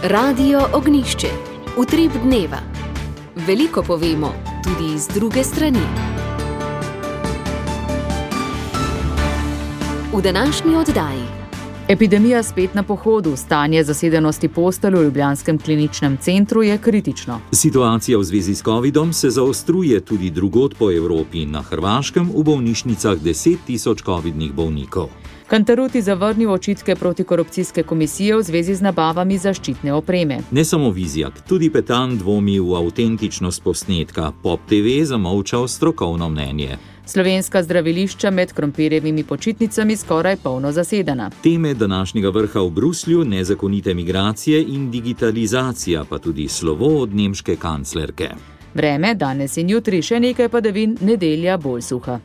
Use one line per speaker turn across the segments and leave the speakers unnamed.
Radio Ognišče, utrip dneva. Veliko povemo, tudi iz druge strani. V današnji oddaji.
Epidemija spet na pohodu, stanje zasedenosti postelj v ljubljanskem kliničnem centru je kritično.
Situacija v zvezi s covidom se zaostruje tudi drugod po Evropi. Na Hrvaškem v bolnišnicah 10.000 covidnih bolnikov.
Cantarutti zavrnil očitke protikorupcijske komisije v zvezi z nabavami zaščitne opreme.
Ne samo Vizjak, tudi Petan dvomi v avtentičnost posnetka. Pop TV zamolčal strokovno mnenje.
Slovenska zdravilišča med krompirjevimi počitnicami skoraj polno zasedena.
Teme današnjega vrha v Bruslju, nezakonite migracije in digitalizacija, pa tudi slovo od nemške kanclerke.
Vreme danes in jutri še nekaj padavin, nedelja bolj suha.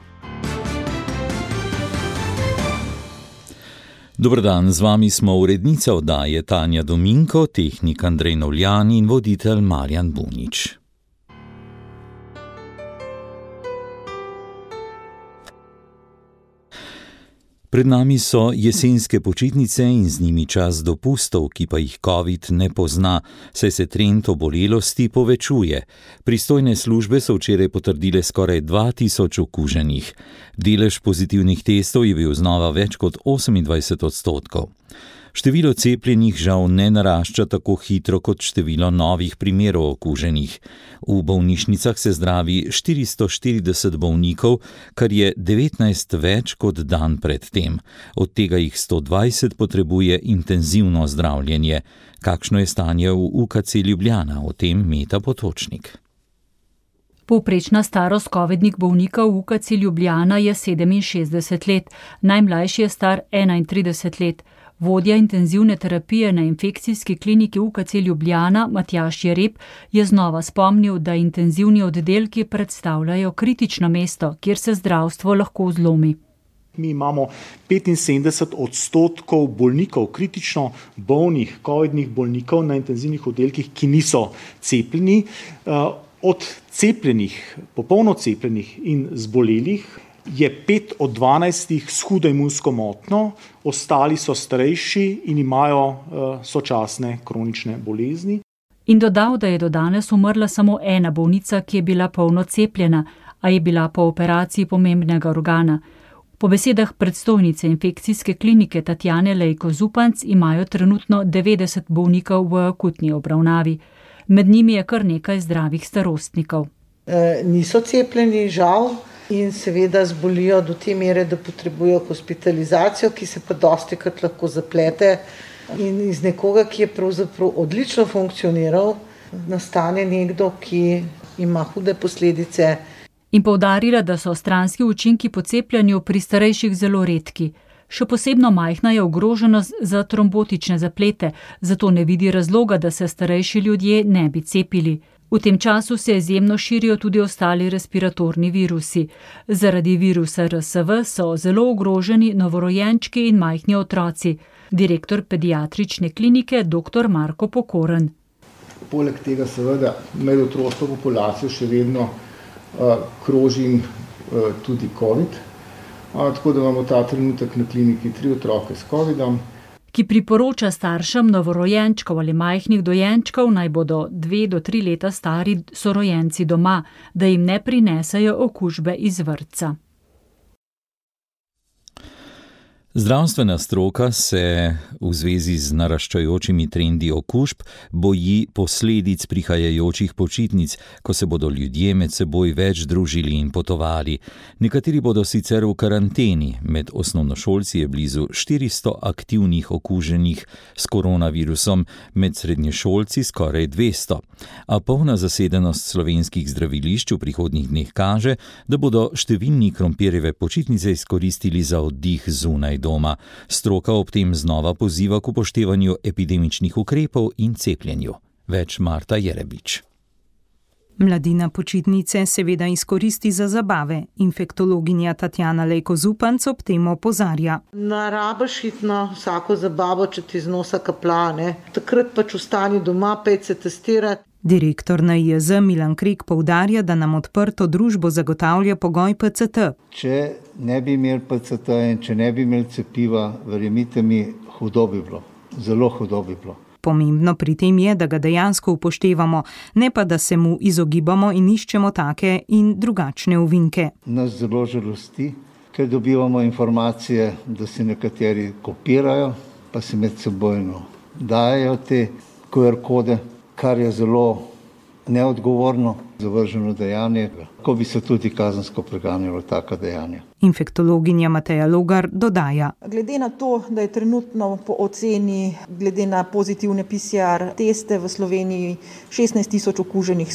Dober dan, z vami smo urednica oddaje Tanja Dominko, tehnik Andrej Novljan in voditelj Marjan Bunič. Pred nami so jesenske počitnice in z njimi čas dopustov, ki pa jih COVID ne pozna, saj se trend obolelosti povečuje. Pristojne službe so včeraj potrdile skoraj 2000 okuženih. Delež pozitivnih testov je bil znova več kot 28%. Število cepljenih žal ne narašča tako hitro kot število novih primerov okuženih. V bolnišnicah se zdravi 440 bolnikov, kar je 19 več kot dan pred tem. Od tega jih 120 potrebuje intenzivno zdravljenje. Kakšno je stanje v UKC Ljubljana? O tem Meta Potočnik.
Povprečna starost covidnih bolnikov v UKC Ljubljana je 67 let, najmlajši je star 31 let. Vodja intenzivne terapije na infekcijski kliniki UKC Ljubljana Matjaž Jereb je znova spomnil, da intenzivni oddelki predstavljajo kritično mesto, kjer se zdravstvo lahko zlomi.
Mi imamo 75% bolnikov, kritično bolnih, covidnih bolnikov na intenzivnih oddelkih, ki niso cepljeni. Od cepljenih, popolno cepljenih in zbolelih je 5 od 12 s hudo imunsko motnjo, ostali so starejši in imajo sočasne kronične bolezni.
In dodal, da je do danes umrla samo ena bolnica, ki je bila polno cepljena, a je bila po operaciji pomembnega organa. Po besedah predstojnice infekcijske klinike Tatjane Lejko Zupanc imajo trenutno 90 bolnikov v akutni obravnavi. Med njimi je kar nekaj zdravih starostnikov.
Niso cepljeni, žal, in seveda zbolijo do te mere, da potrebujejo hospitalizacijo, ki se pa dostikrat lahko zaplete. In iz nekoga, ki je pravzaprav odlično funkcioniral, nastane nekdo, ki ima hude posledice.
In poudarila, da so stranski učinki po cepljenju pri starejših zelo redki. Še posebno majhna je ogroženost za trombotične zaplete, zato ne vidi razloga, da se starejši ljudje ne bi cepili. V tem času se izjemno širijo tudi ostali respiratorni virusi. Zaradi virusa RSV so zelo ogroženi novorojenčki in majhni otroci. Direktor pediatrične klinike dr. Marko Pokoren.
Poleg tega seveda med otroško populacijo še vedno kroži tudi COVID. Tako da imamo ta trenutek na kliniki 3 otroke s COVIDom.
Ki priporoča staršem novorojenčkov ali majhnih dojenčkov, naj bodo 2 do 3 leta stari sorojenci doma, da jim ne prinesajo okužbe iz vrtca.
Zdravstvena stroka se v zvezi z naraščajočimi trendi okužb boji posledic prihajajočih počitnic, ko se bodo ljudje med seboj več družili in potovali. Nekateri bodo sicer v karanteni, med osnovnošolci je blizu 400 aktivnih okuženih s koronavirusom, med srednješolci skoraj 200. A polna zasedenost slovenskih zdravilišč v prihodnjih dneh kaže, da bodo številni krompirjeve počitnice izkoristili za oddih zunaj doma. Stroka ob tem znova poziva k upoštevanju epidemičnih ukrepov in cepljenju. Več Marta Jerebič.
Mladina počitnice seveda izkoristi za zabave. Infektologinja Tatjana Lejko Zupanc ob tem opozarja.
Ne rabiš iti na vsako zabavo, če ti iz nosa kaplja, ne. Takrat pač ostani doma, pejte se testirati.
Direktor NIJZ Milan Krek poudarja, da nam odprto družbo zagotavlja pogoj PCT.
Če ne bi imeli PCT in če ne bi imeli cepiva, verjemite mi, hudo bi bilo. Zelo hudo bi bilo.
Pomembno pri tem je, da ga dejansko upoštevamo, ne pa da se mu izogibamo in iščemo take in drugačne ovinke.
Nas zelo žalosti, ker dobivamo informacije, da se nekateri kopirajo, pa se med sebojno dajejo te QR kode, kar je zelo neodgovorno, zavrženo dejanje, ko bi se tudi kazensko preganjalo taka dejanja.
Infektologinja Mateja Logar dodaja.
Glede na to, da je trenutno po oceni, glede na pozitivne PCR teste v Sloveniji 16.000 okuženih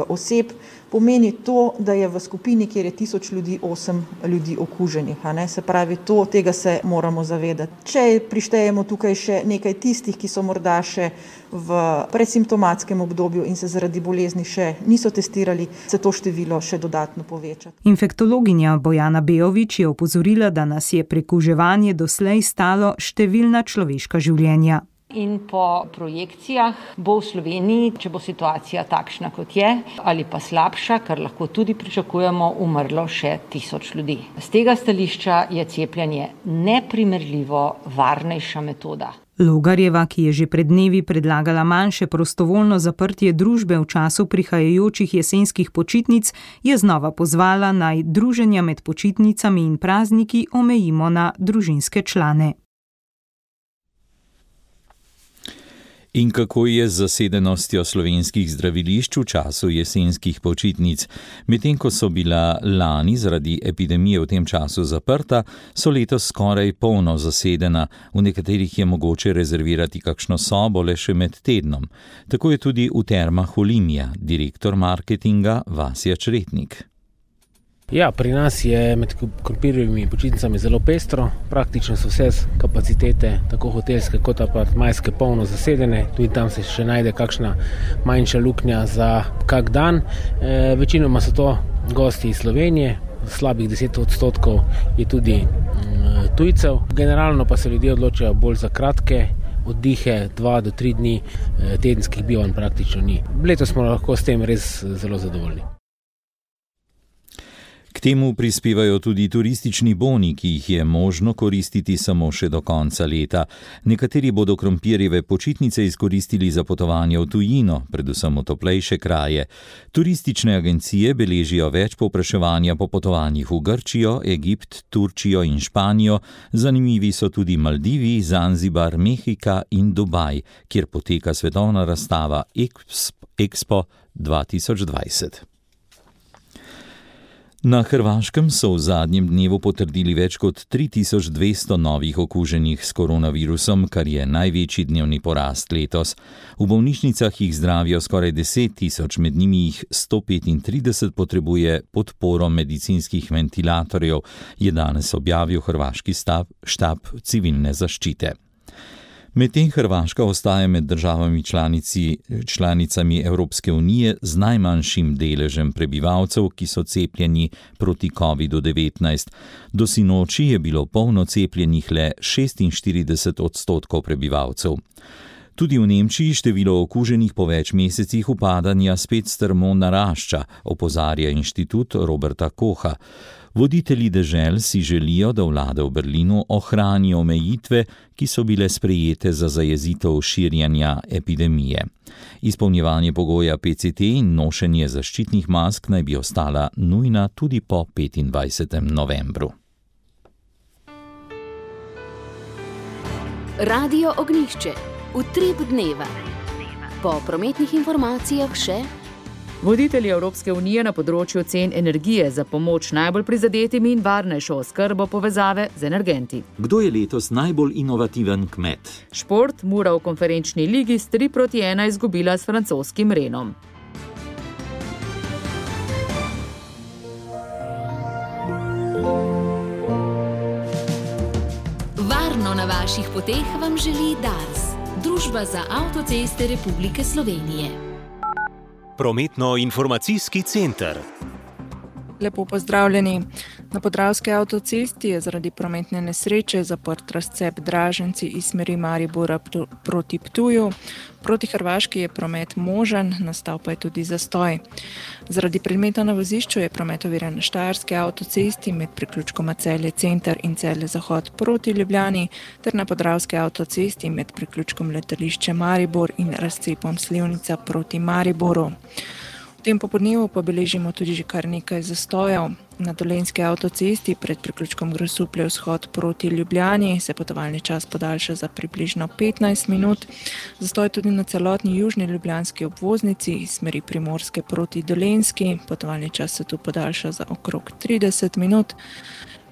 oseb, pomeni to, da je v skupini, kjer je 1000 ljudi, 8 ljudi okuženih. Se pravi, tega se moramo zavedati. Če prištejemo tukaj še nekaj tistih, ki so morda še v predsimptomatskem obdobju in se zaradi bolezni še niso testirali, se to število še dodatno poveča.
Infektologinja Bojana Bejović je opozorila, da nas je prekuževanje doslej stalo številna človeška življenja.
In po projekcijah bo v Sloveniji, če bo situacija takšna, kot je, ali pa slabša, kar lahko tudi pričakujemo, umrlo še 1000 ljudi. Z tega stališča je cepljenje neprimerljivo varnejša metoda.
Logarjeva, ki je že pred dnevi predlagala manjše prostovoljno zaprtje družbe v času prihajajočih jesenskih počitnic, je znova pozvala, naj druženja med počitnicami in prazniki omejimo na družinske člane.
In kako je z zasedenostjo slovenskih zdravilišč v času jesenskih počitnic? Medtem ko so bila lani zaradi epidemije v tem času zaprta, so letos skoraj polno zasedena. V nekaterih je mogoče rezervirati kakšno sobo le še med tednom. Tako je tudi v Termah Olimia, direktor marketinga Vasja Čretnik.
Ja, pri nas je med krompirjevimi počitnicami zelo pestro. Praktično so vse kapacitete, tako hotelske kot apartmajske, polno zasedene. Tudi tam se še najde kakšna manjša luknja za kak dan. Večinoma so to gosti iz Slovenije, slabih 10% je tudi tujcev. Generalno pa se ljudje odločajo bolj za kratke oddihe, 2 do 3 dni, tedenskih bivanj praktično ni. Letos smo lahko s tem res zelo zadovoljni.
K temu prispevajo tudi turistični boni, ki jih je možno koristiti samo še do konca leta. Nekateri bodo krompirjeve počitnice izkoristili za potovanje v tujino, predvsem v toplejše kraje. Turistične agencije beležijo več povpraševanja po potovanjih v Grčijo, Egipt, Turčijo in Španijo. Zanimivi so tudi Maldivi, Zanzibar, Mehika in Dubaj, kjer poteka svetovna razstava Expo 2020. Na Hrvaškem so v zadnjem dnevu potrdili več kot 3200 novih okuženih s koronavirusom, kar je največji dnevni porast letos. V bolnišnicah jih zdravijo skoraj 10 000, med njimi jih 135 potrebuje podporo medicinskih ventilatorjev, je danes objavil hrvaški štab civilne zaščite. Medtem Hrvaška ostaja med državami članicami Evropske unije z najmanjšim deležem prebivalcev, ki so cepljeni proti COVID-19. Do sinoči je bilo polno cepljenih le 46% prebivalcev. Tudi v Nemčiji število okuženih po več mesecih upadanja spet strmo narašča, opozarja inštitut Roberta Kocha. Voditelji dežel si želijo, da vlade v Berlinu ohranijo omejitve, ki so bile sprejete za zajezitev širjenja epidemije. Izpolnjevanje pogoja PCT in nošenje zaščitnih mask naj bi ostala nujna tudi po 25. novembru.
Radio Ognjišče. Utrip dneva. Po prometnih informacijah še
voditelji Evropske unije na področju cen energije za pomoč najbolj prizadetim in varnejšo oskrbo povezave z energenti.
Kdo je letos najbolj inovativen kmet?
Šport, Mura v konferenčni ligi s 3-1 izgubila s francoskim Renom.
Varno na vaših poteh vam želi Dars, Družba za avtoceste Republike Slovenije.
Prometno-informacijski center. Lepo pozdravljeni. Na Podravski avtocesti je zaradi prometne nesreče zaprt razcep Draženci iz smeri Maribora proti Ptuju. Proti Hrvaški je promet možen, nastal pa je tudi zastoj. Zaradi predmeta na vozišču je promet oviran na Štajerski avtocesti med priključkoma Celje Center in Celje Zahod proti Ljubljani ter na Podravski avtocesti med priključkom Letališče Maribor in razcepom Slivnica proti Mariboru. V tem popodnevu pa beležimo tudi že kar nekaj zastojev. Na Dolenjski avtocesti pred priključkom Grosuplje vzhod proti Ljubljani se potovalni čas podaljša za približno 15 minut. Zastoj tudi na celotni južni ljubljanski obvoznici iz smeri Primorske proti Dolenjski. Potovalni čas se tu podaljša za okrog 30 minut.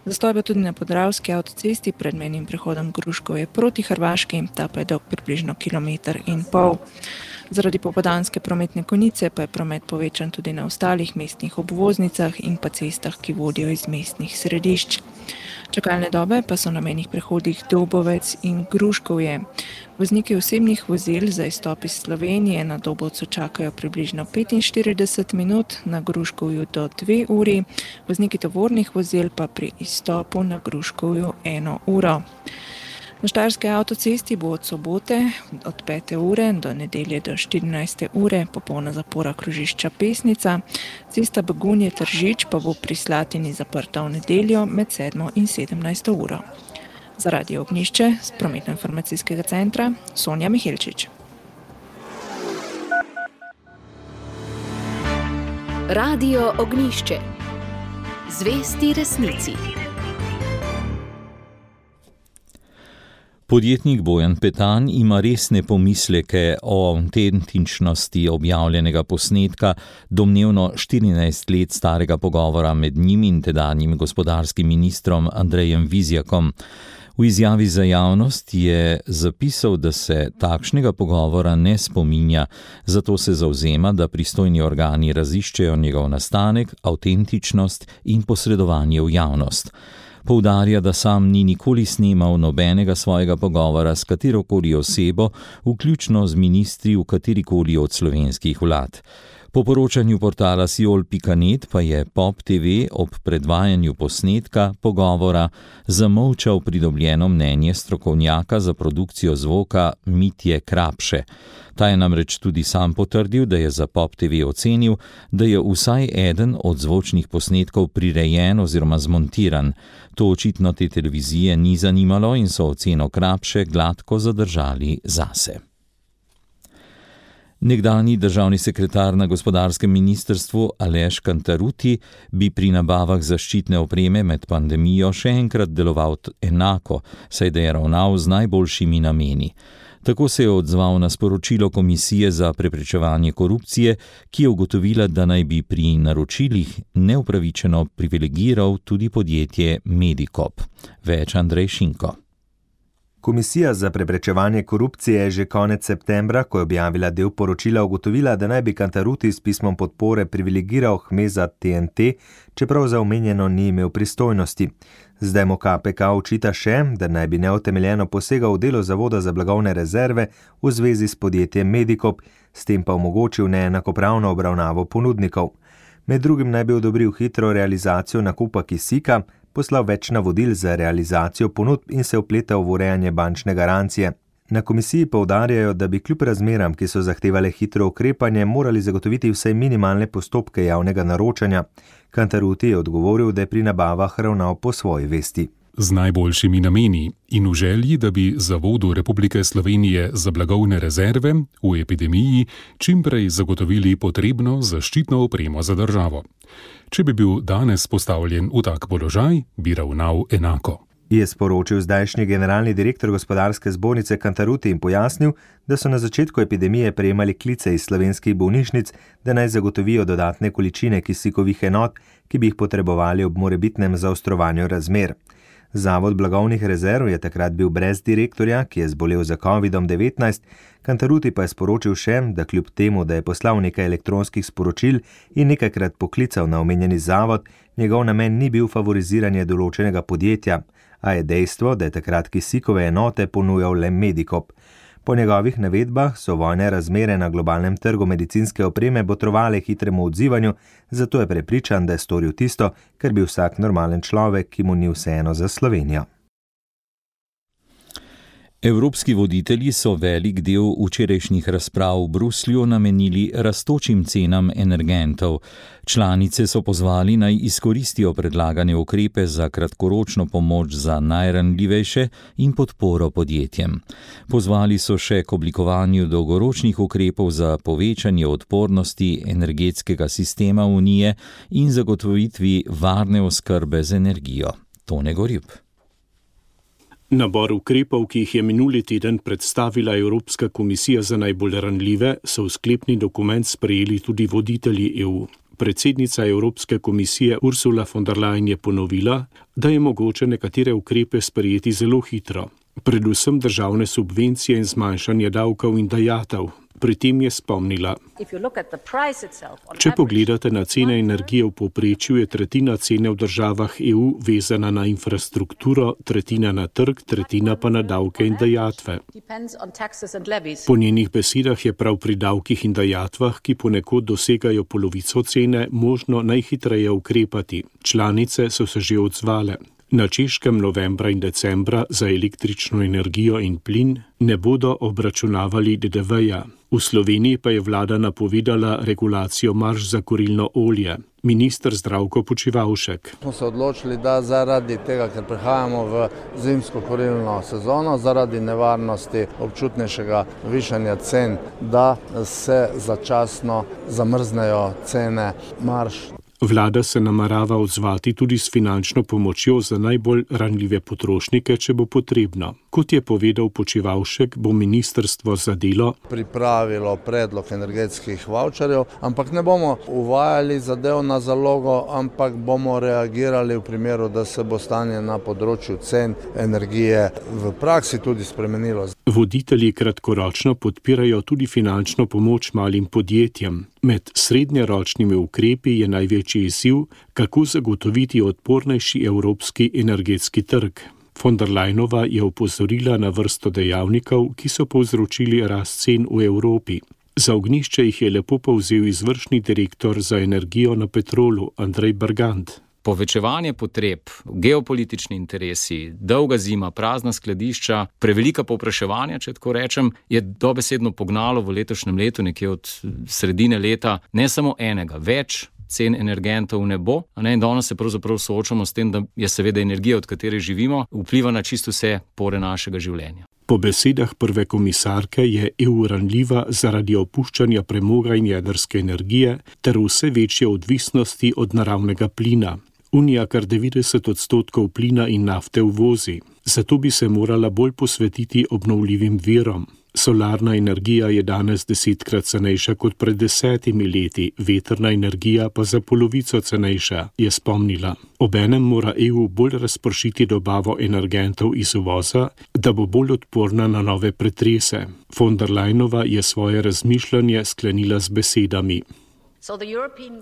Zastoj pa tudi na Podravski avtocesti pred mejnim prehodom Gruškovje proti Hrvaški, ta pa je dolg približno 1,5 km. Zaradi popoldanske prometne konice pa je promet povečan tudi na ostalih mestnih obvoznicah in pa cestah, ki vodijo iz mestnih središč. Čakalne dobe pa so na mejnih prehodih Dobovec in Gruškovje. Vozniki osebnih vozil za izstop iz Slovenije na Dobovcu čakajo približno 45 minut, na Gruškovju do 2 uri, vozniki tovornih vozil pa pri izstopu na Gruškovju 1 uro. Na Štajerski avtocesti bo od sobote od 5. ure do nedelje do 14. ure popolna zapora krožišča Pesnica. Cesta Begunje-Tržič pa bo pri Slatini zaprta v nedeljo med 7. in 17. uro. Za Radio Ognjišče z Prometno-informacijskega centra Sonja Mihelčič.
Radio Ognjišče. Zvesti resnici.
Podjetnik Bojan Petan ima resne pomisleke o avtentičnosti objavljenega posnetka domnevno 14 let starega pogovora med njim in tedanjim gospodarskim ministrom Andrejem Vizjakom. V izjavi za javnost je zapisal, da se takšnega pogovora ne spominja, zato se zavzema, da pristojni organi raziščejo njegov nastanek, avtentičnost in posredovanje v javnost. Poudarja, da sam ni nikoli snemal nobenega svojega pogovora s katerokoli osebo, vključno z ministri v katerikoli od slovenskih vlad. Po poročanju portala Siol.net pa je Pop TV ob predvajanju posnetka pogovora zamolčal pridobljeno mnenje strokovnjaka za produkcijo zvoka Mitje Krapše. Ta je namreč tudi sam potrdil, da je za Pop TV ocenil, da je vsaj eden od zvočnih posnetkov prirejen oziroma zmontiran. To očitno te televizije ni zanimalo in so oceno Krapše gladko zadržali zase. Nekdanji državni sekretar na gospodarskem ministrstvu Aleš Kantaruti bi pri nabavah zaščitne opreme med pandemijo še enkrat deloval enako, saj da je ravnal z najboljšimi nameni. Tako se je odzval na sporočilo Komisije za preprečevanje korupcije, ki je ugotovila, da naj bi pri naročilih neupravičeno privilegiral tudi podjetje Medikop. Več Andrej Šinko.
Komisija za preprečevanje korupcije je že konec septembra, ko je objavila del poročila, ugotovila, da naj bi Kantaruti s pismom podpore privilegiral Hmeza TNT, čeprav za omenjeno ni imel pristojnosti. Zdaj mu KPK očita še, da naj bi neutemeljeno posegal v delo Zavoda za blagovne rezerve v zvezi s podjetjem Medikop, s tem pa omogočil neenakopravno obravnavo ponudnikov. Med drugim naj bi odobril hitro realizacijo nakupa kisika, poslal več navodil za realizacijo ponudb in se vpletal v urejanje bančne garancije. Na komisiji poudarjajo, da bi kljub razmeram, ki so zahtevale hitro ukrepanje, morali zagotoviti vsaj minimalne postopke javnega naročanja. Kantaruti je odgovoril, da je pri nabavah ravnal po svoji vesti.
Z najboljšimi nameni in v želji, da bi Zavodu Republike Slovenije za blagovne rezerve v epidemiji čimprej zagotovili potrebno zaščitno opremo za državo. Če bi bil danes postavljen v tak položaj, bi ravnal enako.
Je sporočil zdajšnji generalni direktor gospodarske zbornice Kantaruti in pojasnil, da so na začetku epidemije prejemali klice iz slovenskih bolnišnic, da naj zagotovijo dodatne količine kisikovih enot, ki bi jih potrebovali ob morebitnem zaostrovanju razmer. Zavod blagovnih rezerv je takrat bil brez direktorja, ki je zbolel za COVID-19, Kantaruti pa je sporočil še, da kljub temu, da je poslal nekaj elektronskih sporočil in nekajkrat poklical na omenjeni zavod, njegov namen ni bil favoriziranje določenega podjetja, a je dejstvo, da je takrat kisikove enote ponujal le Medikop. Po njegovih navedbah so vojne razmere na globalnem trgu medicinske opreme botrovale hitremu odzivanju, zato je prepričan, da je storil tisto, kar bi vsak normalen človek, ki mu ni vseeno za Slovenijo.
Evropski voditelji so velik del včerajšnjih razprav v Bruslju namenili rastočim cenam energentov. Članice so pozvali, naj izkoristijo predlagane ukrepe za kratkoročno pomoč za najranljivejše in podporo podjetjem. Pozvali so še k oblikovanju dolgoročnih ukrepov za povečanje odpornosti energetskega sistema Unije in zagotovitvi varne oskrbe z energijo. Tone Gorjup.
Nabor ukrepov, ki jih je minuli teden predstavila Evropska komisija za najbolj ranljive, so v sklepni dokument sprejeli tudi voditelji EU. Predsednica Evropske komisije Ursula von der Leyen je ponovila, da je mogoče nekatere ukrepe sprejeti zelo hitro, predvsem državne subvencije in zmanjšanje davkov in dajatev. Pri tem je spomnila: če pogledate na cene energije v povprečju, je tretjina cene v državah EU vezana na infrastrukturo, tretjina na trg, tretjina pa na davke in dajatve. Po njenih besedah je prav pri davkih in dajatvah, ki ponekod dosegajo polovico cene, možno najhitreje ukrepati. Članice so se že odzvale. Na Češkem novembra in decembra za električno energijo in plin ne bodo obračunavali DDV-ja. V Sloveniji pa je vlada napovedala regulacijo marž za kurilno olje. Minister Zdravko Počivalšek:
smo se odločili, da zaradi tega, ker prihajamo v zimsko kurilno sezono, zaradi nevarnosti občutnejšega višanja cen, da se začasno zamrznejo cene marž.
Vlada se namerava odzvati tudi s finančno pomočjo za najbolj ranljive potrošnike, če bo potrebno. Kot je povedal Počivalšek, bo ministrstvo za delo
pripravilo predlog energetskih vavčerjev, ampak ne bomo uvajali zadev na zalogo, ampak bomo reagirali v primeru, da se bo stanje na področju cen energije v praksi tudi spremenilo.
Voditelji kratkoročno podpirajo tudi finančno pomoč malim podjetjem. Med srednjeročnimi ukrepi je največji izziv, kako zagotoviti odpornejši evropski energetski trg. Von der Leyenova je opozorila na vrsto dejavnikov, ki so povzročili rast cen v Evropi. Za ognjišče jih je lepo povzel izvršni direktor za energijo na Petrolu Andrej Bergant.
Povečevanje potreb, geopolitični interesi, dolga zima, prazna skladišča, prevelika povpraševanja, če tako rečem, je dobesedno pognalo v letošnjem letu, nekje od sredine leta, ne samo enega, več cen energentov ne bo. In danes se pravzaprav soočamo s tem, da je seveda energija, od katere živimo, vpliva na čisto vse pore našega življenja.
Po besedah prve komisarke je EU ranljiva zaradi opuščanja premoga in jedrske energije ter vse večje odvisnosti od naravnega plina. Unija kar 90% plina in nafte uvozi, zato bi se morala bolj posvetiti obnovljivim virom. Solarna energija je danes 10-krat cenejša kot pred 10 leti, vetrna energija pa za polovico cenejša, je spomnila. Obenem mora EU bolj razpršiti dobavo energentov iz uvoza, da bo bolj odporna na nove pretrese. Von der Leyenova je svoje razmišljanje sklenila z besedami: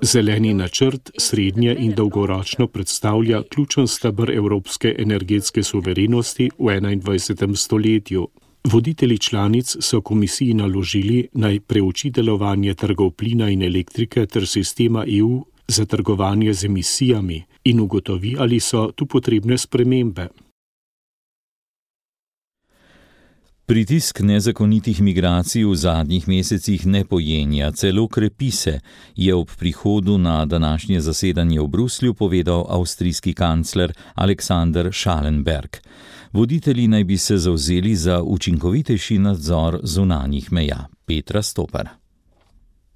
zeleni načrt srednje in dolgoročno predstavlja ključen steber evropske energetske suverenosti v 21. stoletju. Voditelji članic so komisiji naložili, naj preuči delovanje trgov plina in elektrike ter sistema EU za trgovanje z emisijami in ugotovi, ali so tu potrebne spremembe.
Pritisk nezakonitih migracij v zadnjih mesecih ne pojenja, celo krepi se, je ob prihodu na današnje zasedanje v Bruslju povedal avstrijski kancler Alexander Schallenberg. Voditelji naj bi se zavzeli za učinkovitejši nadzor zunanjih meja. Petra Stopar.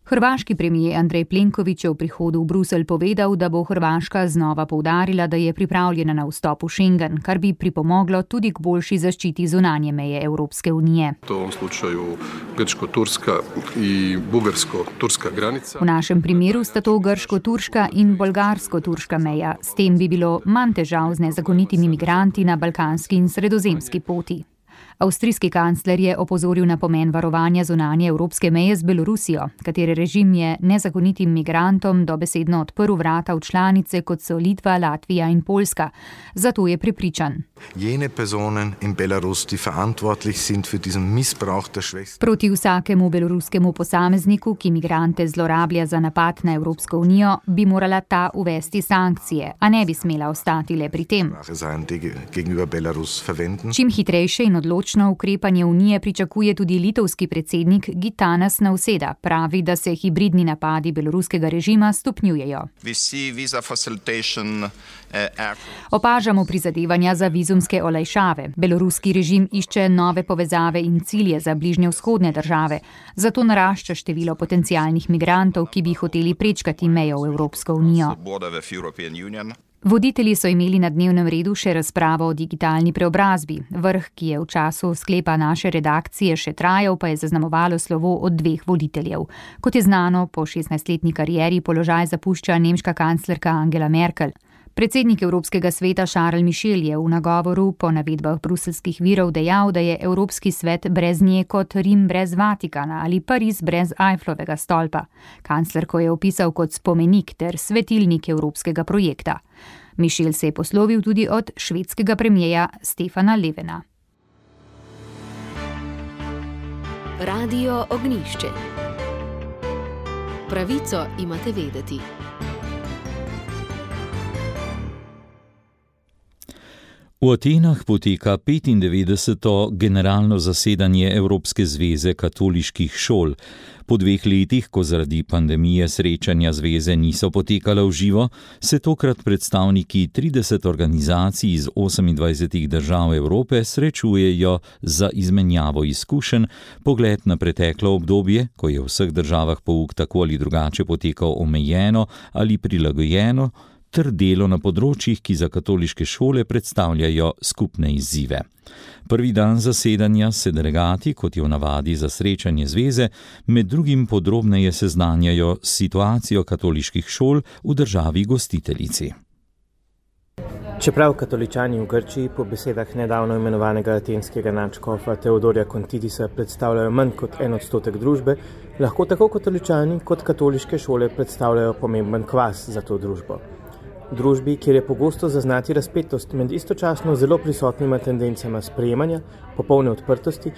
Hrvaški premijer Andrej Plenković je v prihodu v Bruselj povedal, da bo Hrvaška znova poudarila, da je pripravljena na vstop v Schengen, kar bi pripomoglo tudi k boljši zaščiti zunanje meje Evropske unije.
V ovom slučaju grčko-turska in bugarsko-turska granica.
V našem primeru sta to grško-turška in bolgarsko-turška meja. S tem bi bilo manj težav z nezakonitimi migranti na balkanski in sredozemski poti. Avstrijski kancler je opozoril na pomen varovanja zunanje evropske meje z Belorusijo, katere režim je nezakonitim migrantom dobesedno odprl vrata v članice, kot so Litva, Latvija in Poljska. Zato je prepričan.
Jene personen in Belarus, die verantwortlich sind für diesen Missbrauch der Schwester.
Proti vsakemu beloruskemu posamezniku, ki migrante zlorablja za napad na Evropsko unijo, bi morala ta uvesti sankcije, a ne bi smela ostati le pri tem. Čim hitrejše in odločno ukrepanje unije pričakuje tudi litovski predsednik Gitanas Nausėda. Pravi, da se hibridni napadi beloruskega režima stopnjujejo. Opažamo prizadevanja za vizumske olajšave. Beloruski režim išče nove povezave in cilje za bližnjevzhodne države. Zato narašča število potencialnih migrantov, ki bi hoteli prečkati mejo v Evropsko unijo. Voditelji so imeli na dnevnem redu še razpravo o digitalni preobrazbi. Vrh, ki je v času sklepa naše redakcije še trajal, pa je zaznamovalo slovo od 2 voditeljev. Kot je znano, po 16-letni karieri položaj zapušča nemška kanclerka Angela Merkel. Predsednik Evropskega sveta Charles Michel je v nagovoru po navedbah bruselskih virov dejal, da je Evropski svet brez nje kot Rim brez Vatikana ali Pariz brez Eifflovega stolpa. Kanclerko je opisal kot spomenik ter svetilnik evropskega projekta. Michel se je poslovil tudi od švedskega premijeja Stefana Löfvena.
Radio Ognjišče. Pravico imate vedeti.
V Atenah poteka 95. generalno zasedanje Evropske zveze katoliških šol. Po 2 letih, ko zaradi pandemije srečanja zveze niso potekala v živo, se tokrat predstavniki 30 organizacij iz 28 držav Evrope srečujejo za izmenjavo izkušenj, pogled na preteklo obdobje, ko je v vseh državah pouk tako ali drugače potekal omejeno ali prilagojeno, ter delo na področjih, ki za katoliške šole predstavljajo skupne izzive. Prvi dan zasedanja se delegati, kot je v navadi za srečanje zveze, med drugim podrobneje seznanjajo s situacijo katoliških šol v državi gostiteljici.
Čeprav katoličani v Grčiji po besedah nedavno imenovanega atenskega nadškofa Teodorja Kontidisa predstavljajo manj kot 1% družbe, lahko tako katoličani kot katoliške šole predstavljajo pomemben kvas za to družbo. V družbi, kjer je pogosto zaznati razpetost med istočasno zelo prisotnima tendencama sprejemanja, popolne odprtosti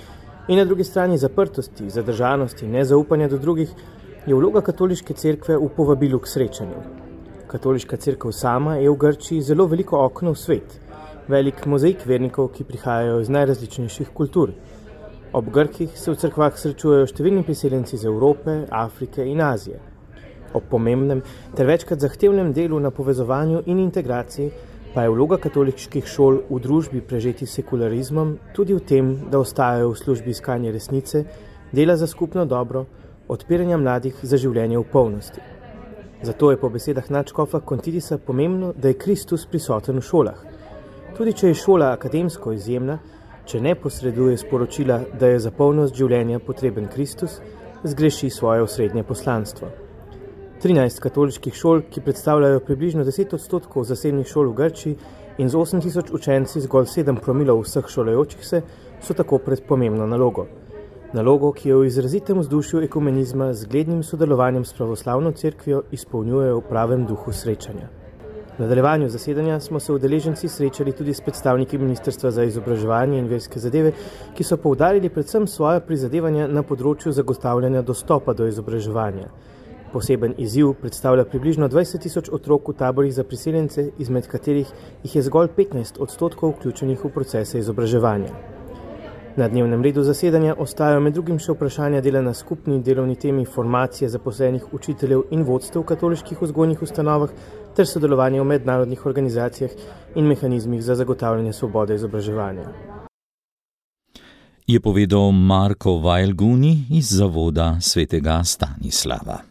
in na drugi strani zaprtosti, zadržanosti, nezaupanja do drugih, je vloga katoliške cerkve v povabilu k srečanju. Katoliška cerkev sama je v Grčiji zelo veliko okno v svet, velik mozaik vernikov, ki prihajajo iz najrazličnejših kultur. Ob Grkih se v cerkvah srečujejo številni priseljenci iz Evrope, Afrike in Azije. Ob pomembnem ter večkrat zahtevnem delu na povezovanju in integraciji pa je vloga katoliških šol v družbi prežeti sekularizmom tudi v tem, da ostajajo v službi iskanja resnice, dela za skupno dobro, odpiranja mladih za življenje v polnosti. Zato je po besedah nadškofa Kontidisa pomembno, da je Kristus prisoten v šolah. Tudi če je šola akademsko izjemna, če ne posreduje sporočila, da je za polnost življenja potreben Kristus, zgreši svoje osrednje poslanstvo. 13 katoliških šol, ki predstavljajo približno 10% zasebnih šol v Grčiji in z 8000 učenci zgolj 7 promilov vseh šolajočih se, so tako pred pomembno nalogo. Nalogo, ki jo v izrazitem vzdušju ekumenizma z zglednim sodelovanjem s pravoslavno cerkvijo izpolnjujejo v pravem duhu srečanja. V nadaljevanju zasedanja smo se udeleženci srečali tudi s predstavniki Ministrstva za izobraževanje in verske zadeve, ki so poudarili predvsem svoja prizadevanja na področju zagotavljanja dostopa do izobraževanja. Poseben izziv predstavlja približno 20 000 otrok v taborih za priseljence, izmed katerih jih je zgolj 15% vključenih v procese izobraževanja. Na dnevnem redu zasedanja ostajajo med drugim še vprašanja dela na skupni delovni temi formacije zaposlenih učiteljev in vodstev v katoliških vzgojnih ustanovah ter sodelovanje v mednarodnih organizacijah in mehanizmih za zagotavljanje svobode izobraževanja.
Je povedal Marko Vajlguni iz Zavoda svetega Stanislava.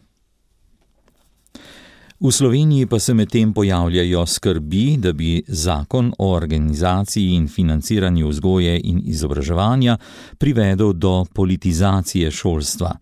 V Sloveniji pa se medtem pojavljajo skrbi, da bi zakon o organizaciji in financiranju vzgoje in izobraževanja privedel do politizacije šolstva.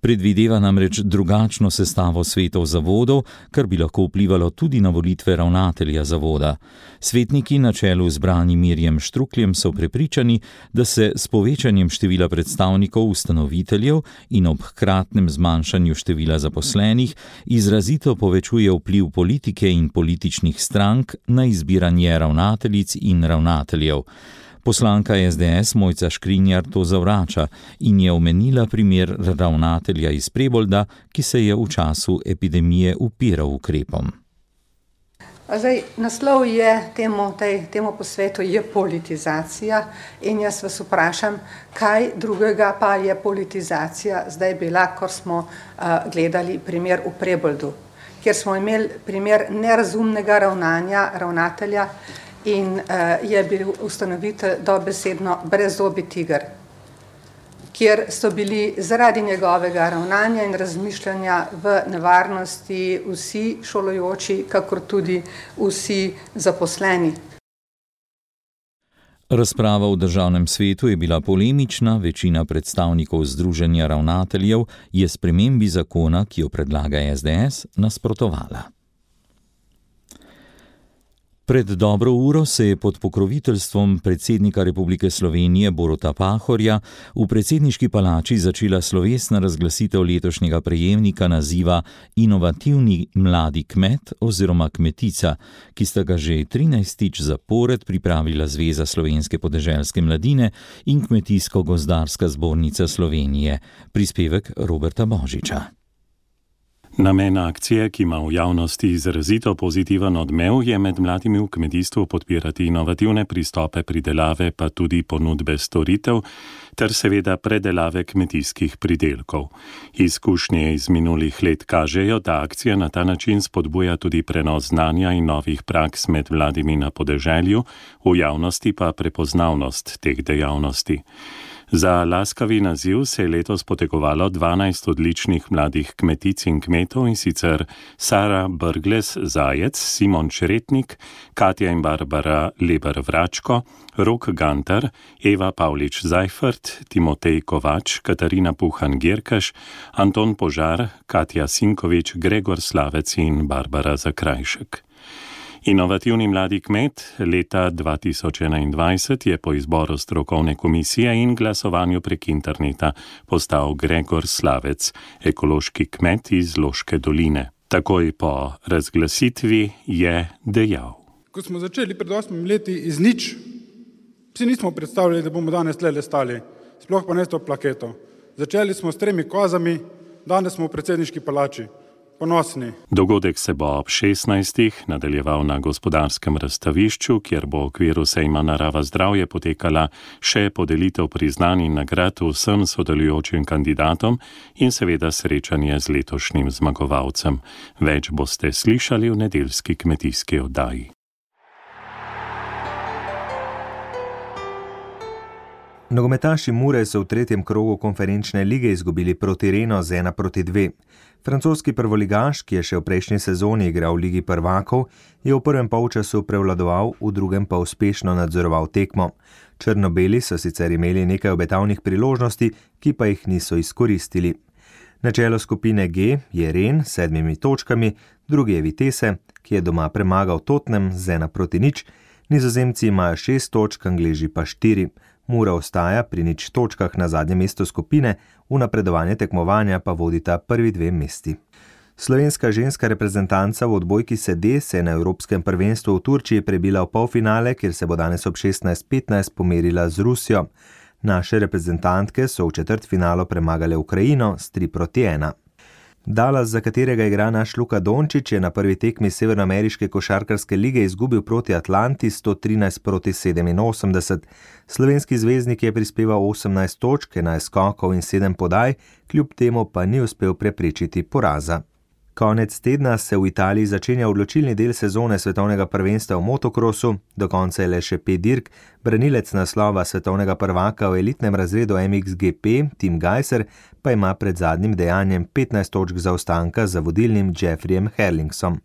Predvideva namreč drugačno sestavo svetov zavodov, kar bi lahko vplivalo tudi na volitve ravnatelja zavoda. Svetniki na čelu z Branimirjem Štrukljem so prepričani, da se s povečanjem števila predstavnikov ustanoviteljev in ob hkratnem zmanjšanju števila zaposlenih izrazito povečuje vpliv politike in političnih strank na izbiranje ravnateljic in ravnateljev. Poslanka SDS Mojca Škrinjar to zavrača in je omenila primer ravnatelja iz Prebolda, ki se je v času epidemije upiral ukrepom.
Zdaj, naslov je temu posvetu je politizacija in jaz vas vprašam, kaj drugega pa je politizacija zdaj bila, ko smo gledali primer v Preboldu, kjer smo imeli primer nerazumnega ravnanja ravnatelja in je bil ustanovitelj dobesedno brezzobi tiger, kjer so bili zaradi njegovega ravnanja in razmišljanja v nevarnosti vsi šolajoči, kakor tudi vsi zaposleni.
Razprava v državnem svetu je bila polemična, večina predstavnikov Združenja ravnateljev je spremembi zakona, ki jo predlaga SDS, nasprotovala. Pred dobro uro se je pod pokroviteljstvom predsednika Republike Slovenije Boruta Pahorja v predsedniški palači začela slovesna razglasitev letošnjega prejemnika naziva Inovativni mladi kmet oziroma kmetica, ki sta ga že 13. zapored pripravila Zveza slovenske podeželske mladine in Kmetijsko-gozdarska zbornica Slovenije. Prispevek Roberta Božiča.
Namen akcije, ki ima v javnosti izrazito pozitiven odmev, je med mladimi v kmetijstvu podpirati inovativne pristope pridelave, pa tudi ponudbe storitev, ter seveda predelave kmetijskih pridelkov. Izkušnje iz minulih let kažejo, da akcija na ta način spodbuja tudi prenos znanja in novih praks med mladimi na podeželju, v javnosti pa prepoznavnost teh dejavnosti. Za laskavi naziv se je letos potegovalo 12 odličnih mladih kmetic in kmetov, in sicer Sara Brglez-Zajec, Simon Čretnik, Katja in Barbara Leber-Vračko, Rok Gantar, Eva Pavlič-Zajfert, Timotej Kovač, Katarina Puhan-Gerkaš, Anton Požar, Katja Sinkovič, Gregor Slavec in Barbara Zakrajšek. Inovativni mladi kmet leta 2021 je po izboru strokovne komisije in glasovanju prek interneta postal Gregor Slavec, ekološki kmet iz Loške doline. Takoj po razglasitvi je dejal.
Ko smo začeli pred 8 leti iz nič, si nismo predstavljali, da bomo danes tle stali, sploh pa ne s to plaketo. Začeli smo s 3 kozami, danes smo v predsedniški palači. Ponosni.
Dogodek se bo ob 16. nadaljeval na gospodarskem razstavišču, kjer bo v okviru sejma Narava zdravje potekala še podelitev priznanj in nagrad vsem sodelujočim kandidatom in seveda srečanje z letošnjim zmagovalcem. Več boste slišali v nedeljski kmetijski oddaji.
Nogometaši Mure so v 3. krogu konferenčne lige izgubili proti Renu z 1-2. Francoski prvoligaš, ki je še v prejšnji sezoni igral v Ligi prvakov, je v prvem polčasu prevladoval, v drugem pa uspešno nadzoroval tekmo. Črno-beli so sicer imeli nekaj obetavnih priložnosti, ki pa jih niso izkoristili. Na čelu skupine G je Ren s 7 točkami, drugi je Vitesse, ki je doma premagal Tottenham z 1-0, Nizozemci imajo 6 točk, Angleži pa 4. Mura ostaja pri 0 točkah na zadnjem mestu skupine, v napredovanje tekmovanja pa vodita prvi 2 mesti. Slovenska ženska reprezentanca v odbojki sede se je na Evropskem prvenstvu v Turčiji prebila v polfinale, kjer se bo danes ob 16:15 pomerila z Rusijo. Naše reprezentantke so v četrtfinalu premagale Ukrajino s 3-1. Dallas, za katerega igra naš Luka Dončić, je na prvi tekmi Severnoameriške košarkarske lige izgubil proti Atlanti 113-87. Slovenski zvezdnik je prispeval 18 točk, 11 skokov in 7 podaj, kljub temu pa ni uspel preprečiti poraza. Konec tedna se v Italiji začenja odločilni del sezone svetovnega prvenstva v motokrosu, do konca je le še 5 dirk, branilec naslova svetovnega prvaka v elitnem razredu MXGP, Tim Gajser, pa ima pred zadnjim dejanjem 15 točk zaostanka za vodilnim Jeffreyem Herlingsom.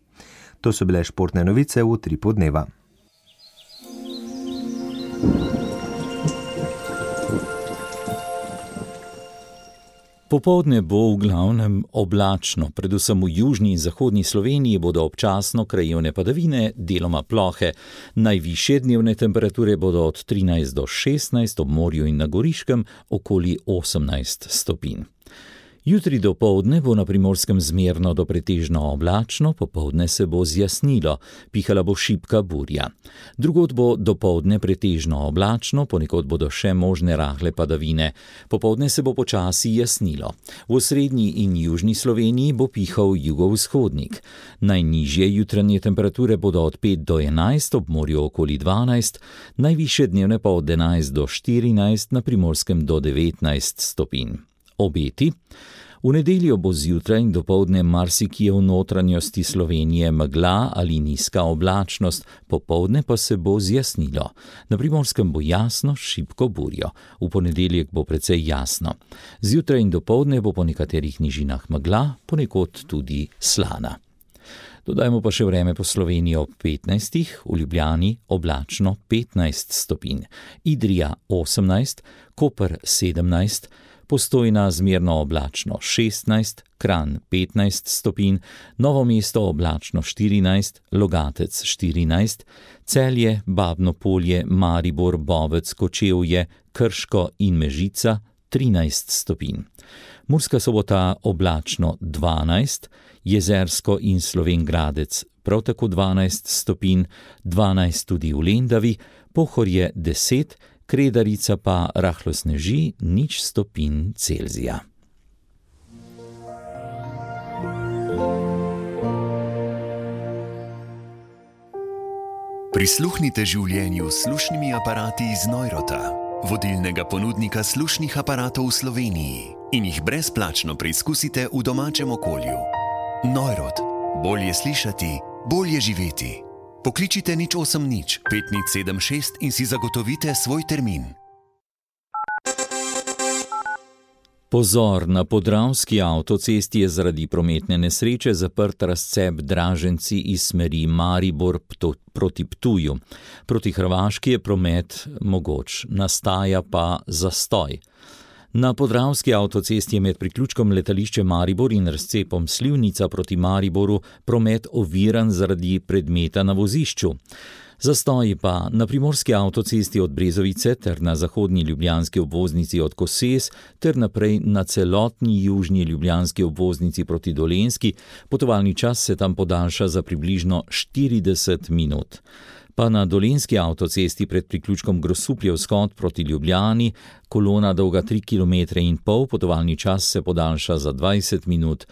To so bile športne novice v Utripu dneva.
Popoldne bo v glavnem oblačno, predvsem v južni in zahodni Sloveniji bodo občasno krajevne padavine, deloma plohe. Najvišje dnevne temperature bodo od 13 do 16, ob morju in na Goriškem okoli 18 stopinj. Jutri dopoldne bo na Primorskem zmerno do pretežno oblačno, popoldne se bo zjasnilo, pihala bo šibka burja. Drugod bo dopoldne pretežno oblačno, ponekod bodo še možne rahle padavine. Popoldne se bo počasi jasnilo. V osrednji in južni Sloveniji bo pihal jugovzhodnik. Najnižje jutranje temperature bodo od 5 do 11, ob morju okoli 12, najvišje dnevne pa od 11 do 14, na Primorskem do 19 stopinj. Obeti. V nedeljo bo zjutraj in dopoldne marsikje v notranjosti Slovenije megla ali nizka oblačnost, popoldne pa se bo zjasnilo. Na Primorskem bo jasno, šibko burjo. V ponedeljek bo precej jasno. Zjutraj in dopoldne bo po nekaterih nižinah megla, ponekod tudi slana. Dodajmo pa še vreme po Sloveniji ob 15, v Ljubljani oblačno 15 stopinj, Idrija 18, Koper 17, Postojna zmerno oblačno 16, Kranj 15 stopinj, Novo mesto oblačno 14, Logatec 14, Celje, Babno Polje, Maribor, Bovec, Kočevje, Krško in Mežica 13 stopinj. Murska Sobota oblačno 12, Jezersko in Slovenj Gradec prav tako 12 stopinj, 12 tudi v Lendavi, Pohorje 10, Kredarica pa rahlo sneži 0 stopinj Celzija.
Prisluhnite življenju s slušnimi aparati iz Neurota, vodilnega ponudnika slušnih aparatov v Sloveniji, in jih brezplačno preizkusite v domačem okolju. Neurot. Bolje slišati, bolje živeti. Pokličite 080 5076 in si zagotovite svoj termin.
Pozor, na Podravski avtocesti je zaradi prometne nesreče zaprt razcep Draženci iz smeri Maribor proti Ptuju. Proti Hrvaški je promet mogoč, nastaja pa zastoj. Na Podravski avtocesti je med priključkom letališče Maribor in razcepom Slivnica proti Mariboru promet oviran zaradi predmeta na vozišču. Zastoji pa na Primorski avtocesti od Brezovice ter na zahodnji ljubljanski obvoznici od Koses ter naprej na celotni južni ljubljanski obvoznici proti Dolenjski. Potovalni čas se tam podaljša za približno 40 minut. Pa na Dolenjski avtocesti pred priključkom Grosupljev vzhod proti Ljubljani, kolona dolga 3,5 km, potovalni čas se podaljša za 20 minut.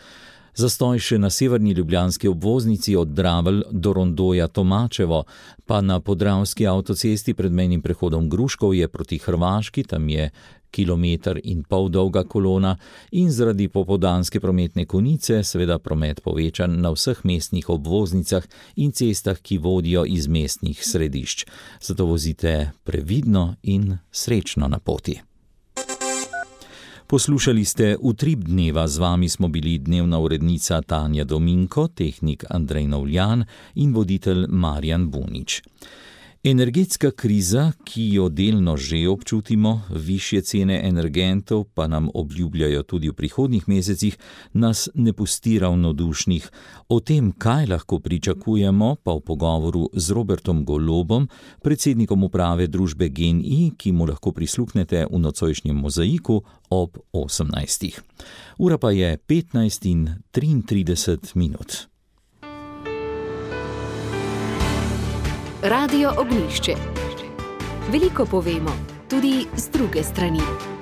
Zastoj še na severni ljubljanski obvoznici od Dravelj do rondoja Tomačevo, pa na Podravski avtocesti pred mejnim prehodom Gruškovje proti Hrvaški, tam je 1,5 km dolga kolona, in zaradi popoldanske prometne konice seveda promet povečan na vseh mestnih obvoznicah in cestah, ki vodijo iz mestnih središč. Zato vozite previdno in srečno na poti. Poslušali ste Utrip dneva, z vami smo bili dnevna urednica Tanja Dominko, tehnik Andrej Novljan in voditelj Marjan Bunič. Energetska kriza, ki jo delno že občutimo, višje cene energentov pa nam obljubljajo tudi v prihodnjih mesecih, nas ne pusti ravnodušnih. O tem, kaj lahko pričakujemo, pa v pogovoru z Robertom Golobom, predsednikom uprave družbe GEN-I, ki mu lahko prisluhnete v nocojšnjem Mozaiku ob 18. Ura pa je 15:33 minut.
Radio Ognjišče. Veliko povemo, tudi z druge strani.